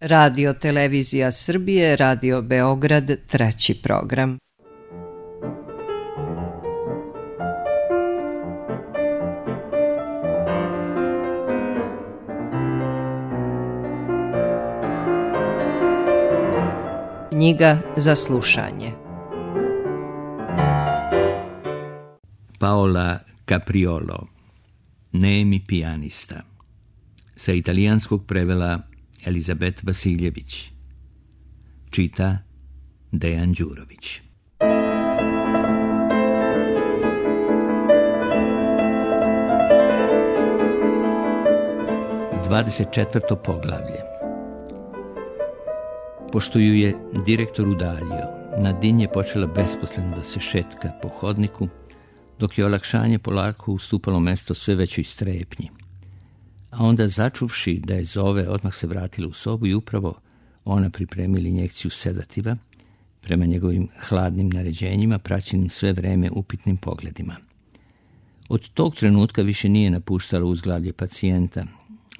Radio Televizija Srbije, Radio Beograd, 3. program. Knjiga za slušanje. Paola Capriolo, Nemi pijanista. Sa italijanskog prevela Elizabet Vasiljević. Čita Dejan Đurović. 24. poglavlje. Pošto ju je direktor udaljio, Nadin je počela besposleno da se šetka po hodniku, dok je olakšanje polako ustupalo mesto sve većoj strepnji. A onda, začuvši da je zove, odmah se vratila u sobu i upravo ona pripremila injekciju sedativa, prema njegovim hladnim naređenjima, praćenim sve vreme upitnim pogledima. Od tog trenutka više nije napuštala uzglavlje pacijenta.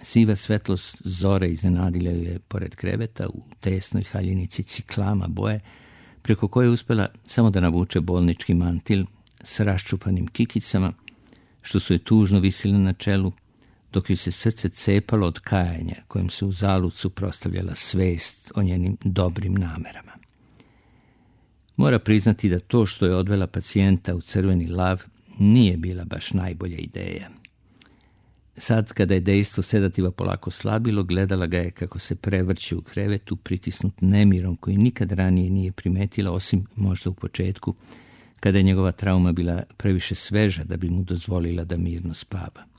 Siva svetlost zore iznenadila ju je pored kreveta u tesnoj haljinici ciklama boje, preko koje je uspela samo da navuče bolnički mantil s raščupanim kikicama, što su je tužno visile na čelu, dok joj se srce cepalo od kajanja kojim se u zalud suprotstavljala svest o njenim dobrim namerama. Mora priznati da to što je odvela pacijenta u crveni lav nije bila baš najbolja ideja. Sad, kada je dejstvo sedativa polako slabilo, gledala ga je kako se prevrće u krevetu, pritisnut nemirom koji nikad ranije nije primetila, osim možda u početku, kada je njegova trauma bila previše sveža da bi mu dozvolila da mirno spava.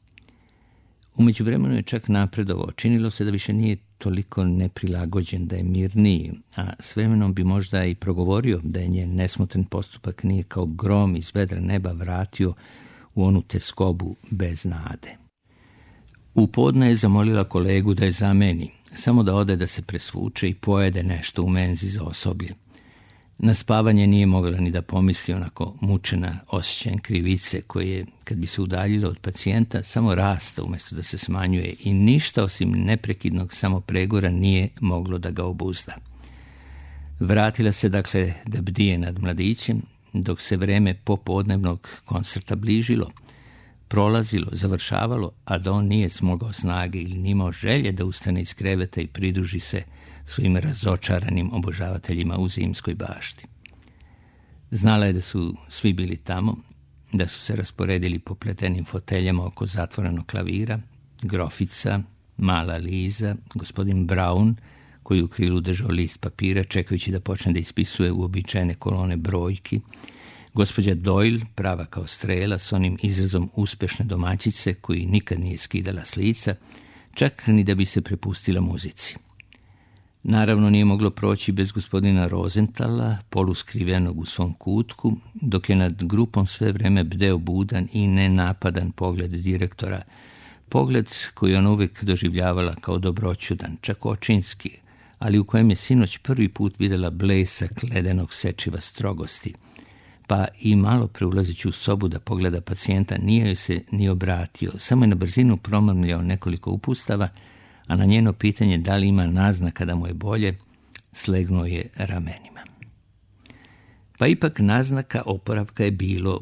U međuvremenu je čak napredovao. Činilo se da više nije toliko neprilagođen, da je mirniji, a s vremenom bi možda i progovorio da je njen nesmotren postupak nije kao grom iz vedra neba vratio u onu teskobu bez nade. U podne je zamolila kolegu da je zameni, samo da ode da se presvuče i pojede nešto u menzi za osoblje. Na spavanje nije mogla ni da pomisli, onako mučena osjećajem krivice koje, kad bi se udaljilo od pacijenta, samo rasta umjesto da se smanjuje i ništa osim neprekidnog samopregora nije moglo da ga obuzda. Vratila se dakle da bdije nad mladićem, dok se vreme popodnevnog koncerta bližilo, prolazilo, završavalo, a da on nije smogao snage ili nimao želje da ustane iz kreveta i pridruži se svojim razočaranim obožavateljima u zimskoj bašti. Znala je da su svi bili tamo, da su se rasporedili po pletenim foteljama oko zatvorenog klavira, grofica, mala Liza, gospodin Braun, koji u krilu držao list papira čekajući da počne da ispisuje uobičajene kolone brojki, gospođa Doyle, prava kao strela, s onim izrazom uspešne domaćice koji nikad nije skidala s lica, čak ni da bi se prepustila muzici. Naravno nije moglo proći bez gospodina Rosenthala, poluskrivenog u svom kutku, dok je nad grupom sve vreme bdeo budan i nenapadan pogled direktora, pogled koji on uvijek doživljavala kao dobroćudan, čak očinski, ali u kojem je sinoć prvi put vidjela blesak ledenog sečiva strogosti, pa i malo preulazeći u sobu da pogleda pacijenta nije joj se ni obratio, samo je na brzinu promrmljao nekoliko upustava, a na njeno pitanje da li ima naznaka da mu je bolje, slegnuo je ramenima. Pa ipak naznaka oporavka je bilo,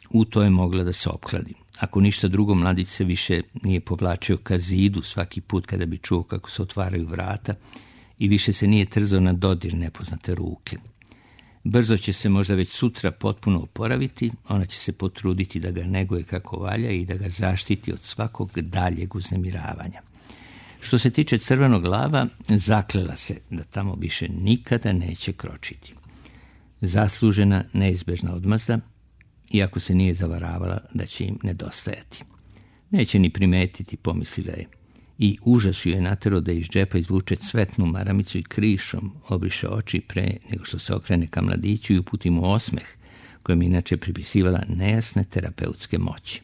u to je mogla da se opkladi. Ako ništa drugo, mladić se više nije povlačio ka zidu svaki put kada bi čuo kako se otvaraju vrata i više se nije trzao na dodir nepoznate ruke. Brzo će se možda već sutra potpuno oporaviti, ona će se potruditi da ga neguje kako valja i da ga zaštiti od svakog daljeg uznemiravanja. Što se tiče crvenog lava, zaklela se da tamo više nikada neće kročiti. Zaslužena neizbežna odmazda, iako se nije zavaravala da će im nedostajati. Neće ni primetiti, pomislila je, i užas ju je naterao da iz džepa izvuče cvetnu maramicu i krišom obriše oči pre nego što se okrene ka mladiću i uputi mu osmeh, kojem inače pripisivala nejasne terapeutske moći.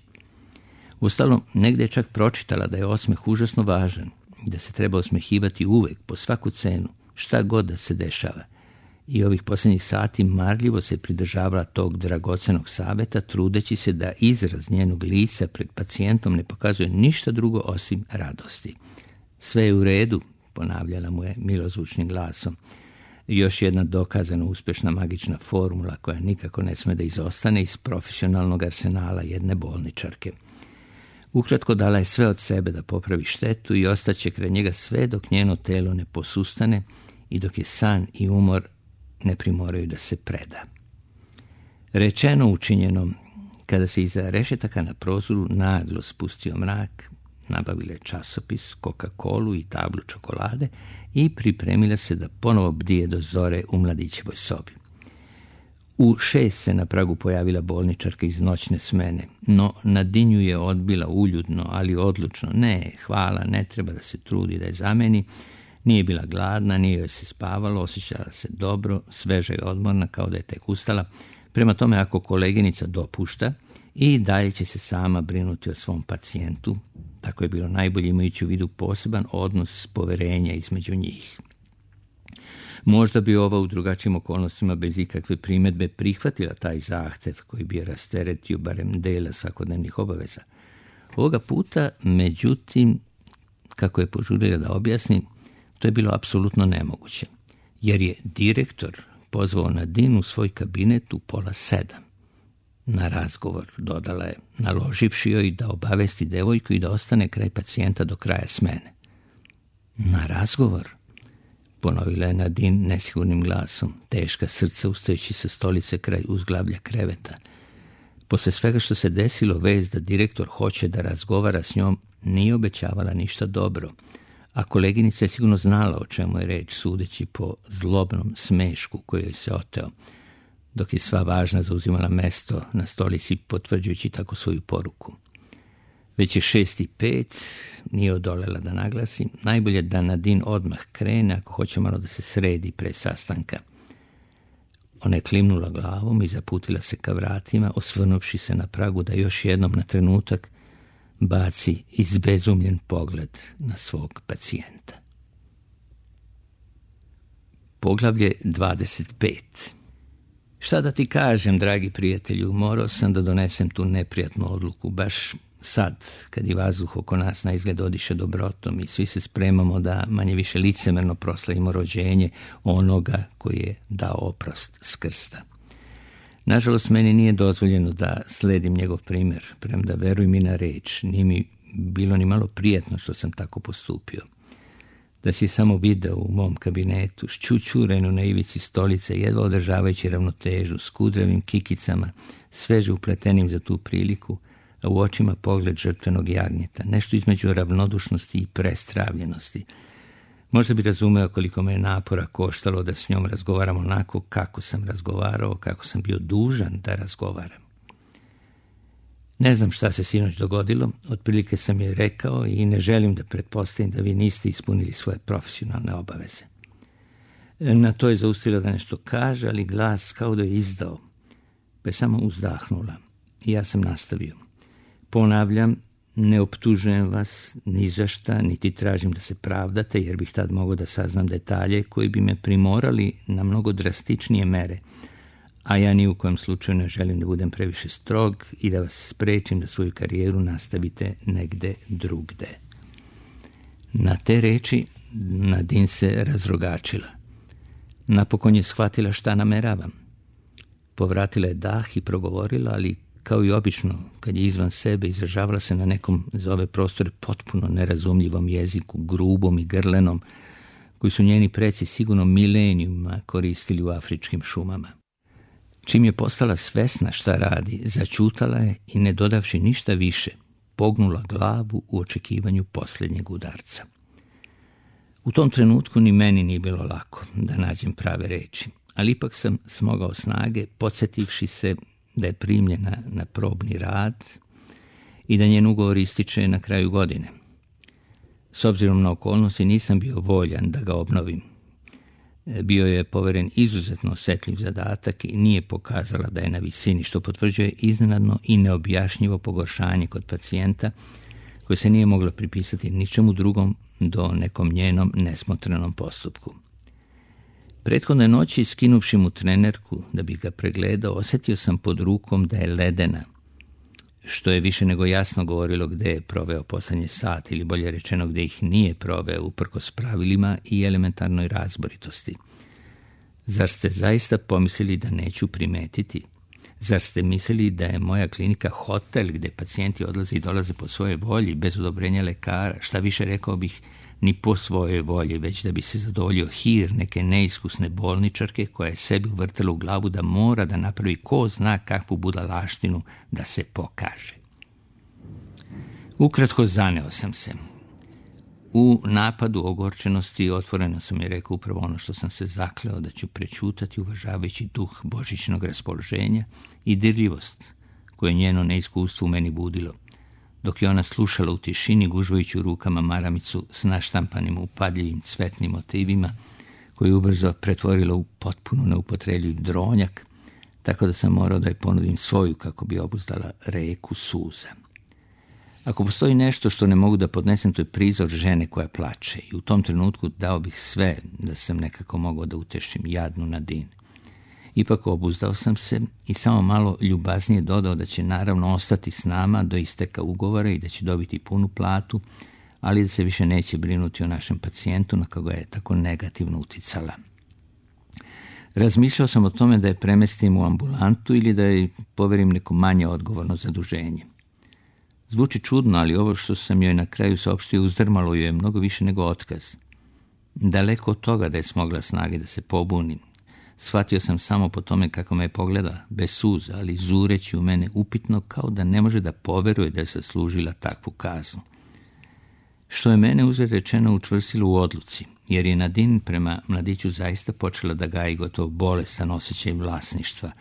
Uostalom, negde je čak pročitala da je osmeh užasno važan, da se treba osmehivati uvek, po svaku cenu, šta god da se dešava. I ovih posljednjih sati marljivo se pridržavala tog dragocenog saveta, trudeći se da izraz njenog lica pred pacijentom ne pokazuje ništa drugo osim radosti. Sve je u redu, ponavljala mu je milozvučnim glasom. Još jedna dokazano uspješna magična formula koja nikako ne sme da izostane iz profesionalnog arsenala jedne bolničarke. Ukratko, dala je sve od sebe da popravi štetu i ostaće kraj njega sve dok njeno telo ne posustane i dok je san i umor ne primoraju da se preda. Rečeno učinjeno, kada se iza rešetaka na prozoru naglo spustio mrak, nabavila je časopis, Coca-Colu i tablu čokolade i pripremila se da ponovo bdije do zore u mladićevoj sobi. U 6 se na pragu pojavila bolničarka iz noćne smene, no Nadine ju je odbila uljudno, ali odlučno. Ne, hvala, ne treba da se trudi da je zameni. Nije bila gladna, nije joj se spavalo, osjećala se dobro, sveža i odmorna, kao da je tek ustala. Prema tome, ako koleginica dopušta, i dalje će se sama brinuti o svom pacijentu. Tako je bilo najbolje, imajući u vidu poseban odnos poverenja između njih. Možda bi ova u drugačijim okolnostima bez ikakve primjedbe prihvatila taj zahtev koji bi je rasteretio barem dela svakodnevnih obaveza. Ovoga puta, međutim, kako je požurila da objasni, to je bilo apsolutno nemoguće, jer je direktor pozvao Nadine u svoj kabinet u 6:30. Na razgovor, dodala je, naloživši joj da obavesti devojku i da ostane kraj pacijenta do kraja smene. Na razgovor, ponovila je Nadine nesigurnim glasom, teška srca ustajući sa stolice kraj uzglavlja kreveta. Posle svega što se desilo, vest da direktor hoće da razgovara s njom nije obećavala ništa dobro, a koleginica je sigurno znala o čemu je reč, sudeći po zlobnom smešku koji joj se oteo, dok je sva važna zauzimala mesto na stolici, potvrđujući tako svoju poruku. Već je 6:05, nije odolela da naglasi, najbolje da Nadine odmah krene ako hoće malo da se sredi pre sastanka. Ona je klimnula glavom i zaputila se ka vratima, osvrnuvši se na pragu da još jednom na trenutak baci izbezumljen pogled na svog pacijenta. Poglavlje 25. Šta da ti kažem, dragi prijatelju, morao sam da donesem tu neprijatnu odluku, baš sad, kad i vazduh oko nas na izgled odiše dobrotom i svi se spremamo da manje više licemerno proslavimo rođenje onoga koji je dao oprost s krsta. Nažalost, meni nije dozvoljeno da sledim njegov primjer, premda veruj mi na reč, nije mi bilo ni malo prijatno što sam tako postupio. Da si samo video u mom kabinetu, šćućurenu na ivici stolice, jedva održavajući ravnotežu, s kudravim kikicama, sveže upletenim za tu priliku, a u očima pogled žrtvenog jagnjeta, nešto između ravnodušnosti i prestravljenosti. Možda bi razumeo koliko me je napora koštalo da s njom razgovaram onako kako sam razgovarao, kako sam bio dužan da razgovaram. Ne znam šta se sinoć dogodilo, otprilike sam joj rekao i ne želim da pretpostavim da vi niste ispunili svoje profesionalne obaveze. Na to je zaustavila da nešto kaže, ali glas kao da je izdao, pa je samo uzdahnula i ja sam nastavio. Ponavljam, ne optužujem vas ni za šta, niti tražim da se pravdate, jer bih tad mogao da saznam detalje koji bi me primorali na mnogo drastičnije mere, a ja ni u kojem slučaju ne želim da budem previše strog i da vas sprečim da svoju karijeru nastavite negde drugde. Na te reči Nadine se razrogačila. Napokon je shvatila šta nameravam. Povratila je dah i progovorila, ali kao i obično, kad je izvan sebe, izražavala se na nekom za ove prostore potpuno nerazumljivom jeziku, grubom i grlenom, koji su njeni preci sigurno milenijuma koristili u afričkim šumama. Čim je postala svesna šta radi, začutala je i, ne dodavši ništa više, pognula glavu u očekivanju posljednjeg udarca. U tom trenutku ni meni nije bilo lako da nađem prave reči, ali ipak sam smogao snage, podsjetivši se da je primljena na probni rad i da njen ugovor ističe na kraju godine. S obzirom na okolnosti nisam bio voljan da ga obnovim. Bio je poveren izuzetno osjetljiv zadatak i nije pokazala da je na visini, što potvrđuje iznenadno i neobjašnjivo pogoršanje kod pacijenta koje se nije moglo pripisati ničemu drugom do nekom njenom nesmotrenom postupku. Prethodne noći, skinuvši mu trenerku da bi ga pregledao, osjetio sam pod rukom da je ledena, što je više nego jasno govorilo gde je proveo posljednje sat, ili bolje rečeno gde ih nije proveo uprkos pravilima i elementarnoj razboritosti. Zar ste zaista pomislili da neću primetiti? Zar ste mislili da je moja klinika hotel gde pacijenti odlaze i dolaze po svojoj volji, bez odobrenja lekara, šta više rekao bih, ni po svojoj volji, već da bi se zadovoljio hir neke neiskusne bolničarke koja je sebi uvrtela u glavu da mora da napravi ko zna kakvu budalaštinu da se pokaže. Ukratko zaneo sam se. U napadu ogorčenosti otvoreno sam je rekao upravo ono što sam se zakleo da ću prećutati, uvažavajući duh božićnog raspoloženja i dirljivost koje njeno neiskustvo u meni budilo, dok je ona slušala u tišini gužvajući u rukama maramicu s naštampanim upadljivim cvetnim motivima, koju je ubrzo pretvorila u potpuno neupotrebljiv dronjak, tako da sam morao da je ponudim svoju kako bi obuzdala reku suza. Ako postoji nešto što ne mogu da podnesem, to je prizor žene koja plače, i u tom trenutku dao bih sve da sam nekako mogao da utešim jadnu Nadine. Ipak obuzdao sam se i samo malo ljubaznije dodao da će naravno ostati s nama do isteka ugovora i da će dobiti punu platu, ali da se više neće brinuti o našem pacijentu na koga je tako negativno uticala. Razmišljao sam o tome da je premestim u ambulantu ili da je poverim neko manje odgovorno zaduženje. Zvuči čudno, ali ovo što sam joj na kraju saopštio uzdrmalo joj je mnogo više nego otkaz. Daleko od toga da je smogla snage da se pobuni. Shvatio sam samo po tome kako me je pogleda, bez suza, ali zureći u mene upitno, kao da ne može da poveruje da je zaslužila takvu kaznu. Što je mene uzred rečeno učvrstilo u odluci, jer je Nadine prema mladiću zaista počela da gaji gotovo bolestan osjećaj vlasništva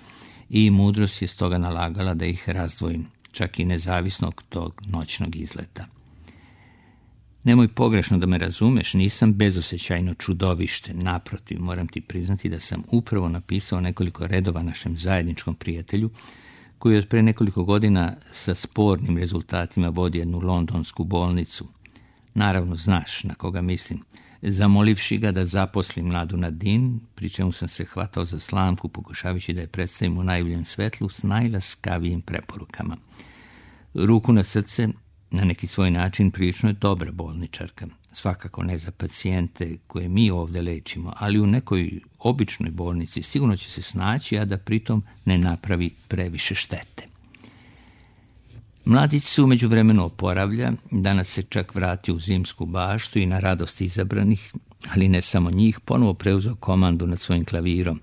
i mudrost je stoga nalagala da ih razdvojim, čak i nezavisno od tog noćnog izleta. Nemoj pogrešno da me razumeš, nisam bezosjećajno čudovište, naprotiv, moram ti priznati da sam upravo napisao nekoliko redova našem zajedničkom prijatelju, koji je od pre nekoliko godina sa spornim rezultatima vodi jednu londonsku bolnicu. Naravno znaš na koga mislim, zamolivši ga da zaposli mladu Nadine, pri čemu sam se hvatao za slamku, pokušavajući da je predstavim u najboljem svetlu s najlaskavijim preporukama. Ruku na srce, na neki svoj način prilično je dobra bolničarka. Svakako ne za pacijente koje mi ovdje lečimo, ali u nekoj običnoj bolnici sigurno će se snaći, a da pritom ne napravi previše štete. Mladić se u međuvremenu oporavlja, danas se čak vratio u zimsku baštu i na radost izabranih, ali ne samo njih, ponovo preuzeo komandu nad svojim klavirom.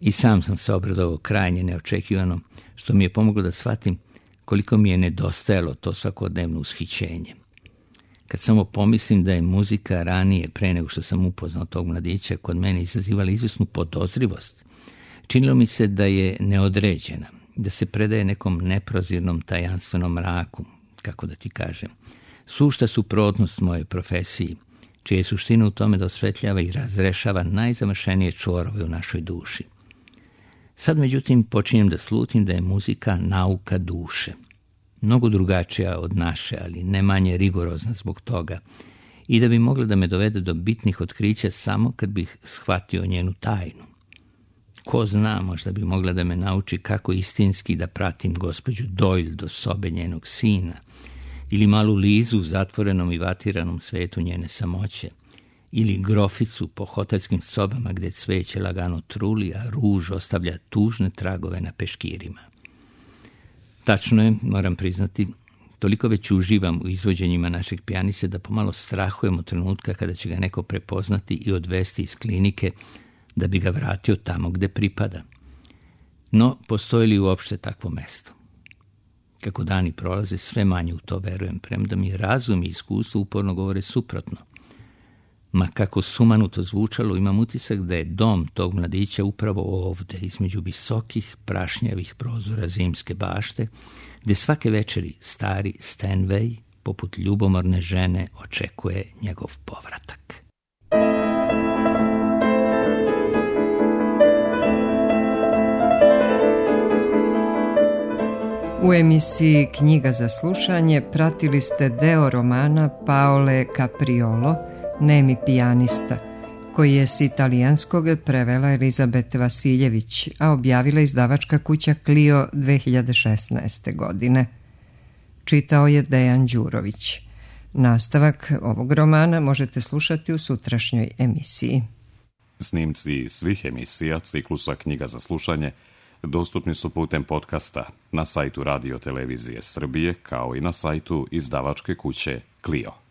I sam sam se obradovao krajnje neočekivano, što mi je pomoglo da shvatim koliko mi je nedostajalo to svakodnevno ushićenje. Kad samo pomislim da je muzika ranije, pre nego što sam upoznao tog mladića, kod mene izazivala izvesnu podozrivost, činilo mi se da je neodređena, da se predaje nekom neprozirnom tajanstvenom mraku, kako da ti kažem, sušta suprotnost moje profesiji, čija je suština u tome da osvetljava i razrešava najzamršenije čvorove u našoj duši. Sad, međutim, počinjem da slutim da je muzika nauka duše. Mnogo drugačija od naše, ali ne manje rigorozna zbog toga, i da bi mogla da me dovede do bitnih otkrića samo kad bih shvatio njenu tajnu. Ko zna, možda bi mogla da me nauči kako istinski da pratim gospođu Doyle do sobe njenog sina, ili malu Lizu u zatvorenom i vatiranom svetu njene samoće, ili groficu po hotelskim sobama gde cveće lagano truli, a ruž ostavlja tužne tragove na peškirima. Tačno je, moram priznati, toliko već uživam u izvođenjima našeg pijaniste da pomalo strahujem od trenutka kada će ga neko prepoznati i odvesti iz klinike da bi ga vratio tamo gde pripada. No, postoji li uopšte takvo mesto? Kako dani prolaze, sve manje u to verujem, premda mi razum i iskustvo uporno govore suprotno. Ma kako sumanuto zvučalo, imam utisak da je dom tog mladića upravo ovde, između visokih, prašnjavih prozora zimske bašte, gde svake večeri stari Stanway, poput ljubomorne žene, očekuje njegov povratak. U emisiji Knjiga za slušanje pratili ste deo romana Paole Capriolo, Nemi pijanista, koji je s italijanskog prevela Elizabeta Vasiljević, a objavila izdavačka kuća Clio 2016. godine. čitao je Dejan Đurović. Nastavak ovog romana možete slušati u sutrašnjoj emisiji. Snimci svih emisija ciklusa Knjiga za slušanje dostupni su putem podcasta na sajtu Radio Televizije Srbije kao i na sajtu izdavačke kuće Clio.